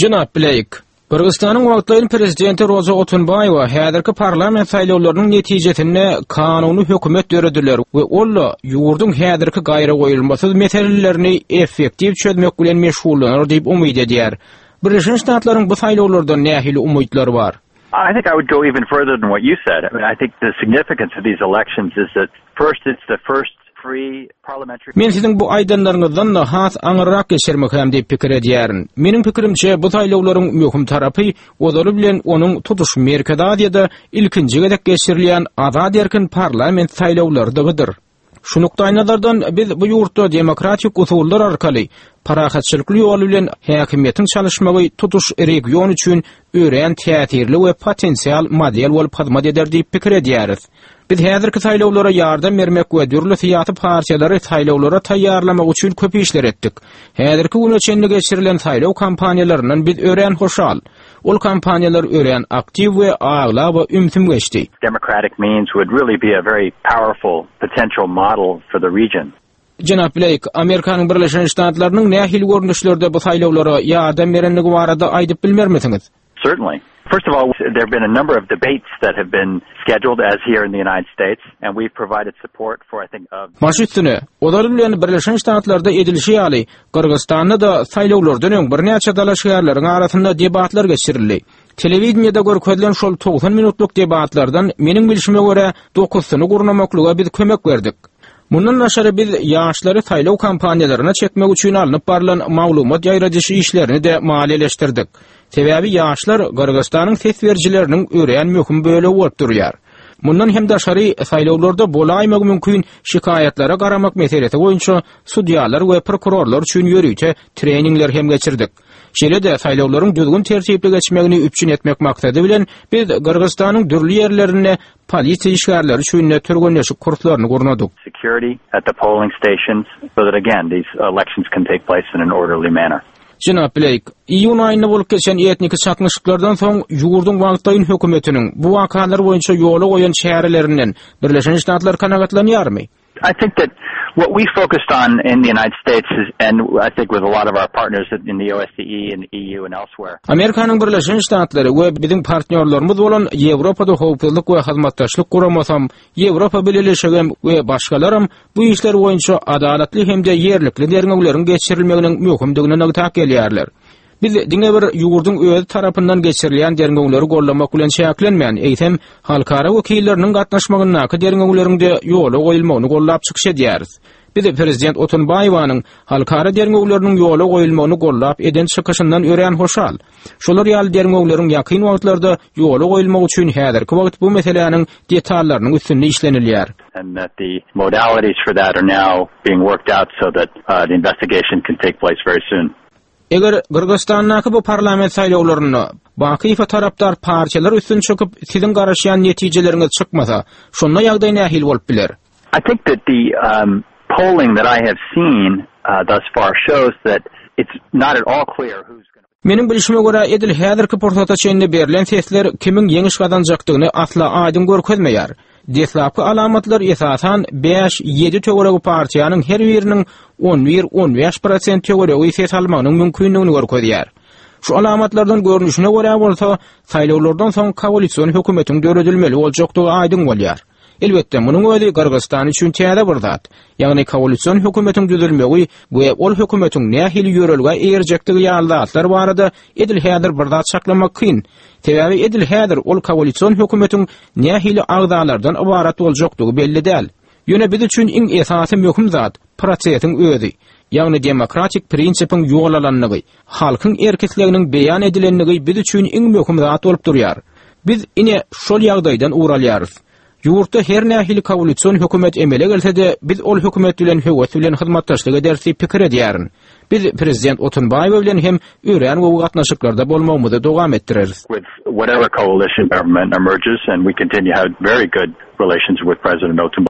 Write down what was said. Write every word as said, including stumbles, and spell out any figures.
Jenap Bleýk, Gyrgyzystanyň wagtlaýyn prezidenti Roza Otunbaýewa häzirki parlament saýlawlarynyň netijesinde kanuny hökümet dörediler we ol ýurduň häzirki gaýragoýulmasyz meselelerini effektiw çözmek bilen meşgullanar diýip umyt edýär. Birleşen Ştatlaryň bu saýlawlardan nähili umytlary bar? I think I would go even further than what you said. I mean, I think the significance of these elections is that first it's the first free parliamentary Men siziň bu aýdanlaryňyzdan da has aňyrrak geçirmek diýip pikir edýärin. Meniň pikirimçe bu saýlawlaryň möhüm tarapy ozaly bilen onuň tutuş Merkezi Aziýada ilkinji gezek geçirilýän azat erkin parlament saýlawlarydyr. Şu nukdaýnazardan biz bu ýurtda demokratik usullar arkaly parahatçylykly ýol bilen häkimiýetiň çalyşmagy tutuş region üçin örän täsirli we potensial model bolup hyzmat eder diýip pikir edýäris. Biz häzirki saýlawlara ýardam bermek we dürli syýasy partiýalary saýlawlara taýýarlamak üçin köp işler etdik. Häzirki güne çenli geçirilen saýlaw kampaniýalaryndan biz örän hoşal. Ol kampaniýalar örän aktiw we aglaba ümsüm geçdi. democratic means would really be a very powerful potential model for the region. Jenap Blake, Amerikanyň Birleşen Ştatlarynyň nähili görnüşlerde bu saýlawlara ýardam berenligi barada aýdyp bilmermisiňiz? Certainly. First of all, there have been a number of debates that have been scheduled as here in the United States, and we've provided support for, I think, of Baş üstüne, ozaly bilen Birleşen Ştatlarda edilişi ýaly, Gyrgyzystanda da saýlawlardan öň birnäçe dalaşgärleriň arasynda debatlar geçirildi. Telewideniýede görkezilen şol togsan minutlyk debatlardan meniň bilşime görä dokuzysyny gurnamaklyga biz kömek berdik. Mundan daşary biz ýaşlary saýlaw kampaniýalaryna çekmek üçin alnyp barylan maglumat ýaýradyş işlerini de maliýeleşdirdik. Sebäbi ýaşlar Gyrgyzystanyň ses berijileriniň örän möhüm bölegi bolup durýar. Mundan hem daşary saýlawlarda bolaýmagy mümkin şikaýatlara garamak meselesi boýunça sudýalar we prokurorlar üçin ýörite treningler hem geçirdik. Şeýle-de saýlawlaryň düzgün tertipli geçmegini üpjün etmek maksady bilen biz Gyrgyzystanyň dürli ýerlerinde polisiýa işgärleri üçin türgenleşik kurslaryny gurnadyk. security at the polling stations so that, again, these elections can take place in an orderly manner. Jenap Blake, iýun aýynda bolup geçen etniki çaknyşyklardan soň ýurduň wagtlaýyn hökümetiniň bu wakalar boýunça ýola goýan çärelerinden Birleşen Ştatlar kanagatlanýarmy? I think that what we focused on in the United States is, and I think with a lot of our partners in the O S C E and the E U and elsewhere, Amerikanyň Birleşen Ştatlary we biziň partnýorlarymyz bolan Ýewropada Howpsuzlyk we Hyzmatdaşlyk Guramasy, Ýewropa Bileleşigi we başgalaram bu işler boýunça adalatly hem-de ýerlikli derňewleriň geçirilmeginiň möhümdigini nygtap gelýärler. Biz diňe bir ýurduň öz tarapyndan geçirilýän derňewleri gollamak bilen çäklenmän, eýsem halkara wekilleriniň gatnaşmagyndaky derňewleriň de ýola goýulmagyny gollap çykyş edýäris. Biz prezident Otunbaýewanyň halkara derňewleriniň ýola goýulmagyny gollap eden çykyşyndan örän hoşal. Şolar ýaly derňewleriň ýakyn wagtlarda ýola goýulmagy üçin häzirki wagt bu meseläniň detallarynyň üstünde işlenilýär. and that the modalities for that are now being worked out so that uh, the investigation can take place very soon. Eger Gyrgyzystandaky bu parlament saýlawlarynda Bakyýewe tarapdar partiýalar üstün çykyp, siziň garaşýan netijeleriňiz çykmasa, şonda ýagdaý nähili bolup biler? I think that the um, polling that I have seen uh, thus far shows that it's not at all clear who's going to Meniň bilşime görä edil häzirki pursata çenli berlen sesler kimiň ýeňiş gazanjakdygyny asla aýdyň görkezmeýär. Deslapky alamatlar esasan bäş-ýedi töweregi partiýanyň her biriniň on bir-on bäş prosent töweregi ses almagynyň mümkindigini görkezýär. Şu alamatlardan görnüşine görä bolsa, saýlawlardan soň koalision hökümetiň döredilmeli boljakdygy aýdyň bolýar. Elbetde, munuň özi Gyrgyzystan üçin täze bir zat. Ýagny koalision hökümetiň düzülmegi we ol hökümetiň nähili ýörelgä eýerjekdigi ýaly zatlar barada edil häzir bir zat çaklamak kyn. Sebäbi edil häzir ol koalision hökümetiň nähili agzalardan ybarat boljakdygy belli däl. Ýöne biz üçin iň esasy möhüm zat prosesiň özi. Ýagny demokratik prinsipiň ýol alanlygy, halkyň erk-isleginiň beýan edilenligi biz üçin iň möhüm zat bolup durýar. Biz ine şol ýagdaýdan ugur alýarys. Ýurtda her nähili koalision hökümet emele gelse-de, biz ol hökümet bilen höwes bilen hyzmatdaşlyk ederis diýip pikir edýärin. Biz prezident Otunbaýewa bilen hem örän gowy gatnaşyklarda bolmagymyzy dowam etdireris. with whatever coalition government emerges, and we continue to have very good relations with President Otunbayev.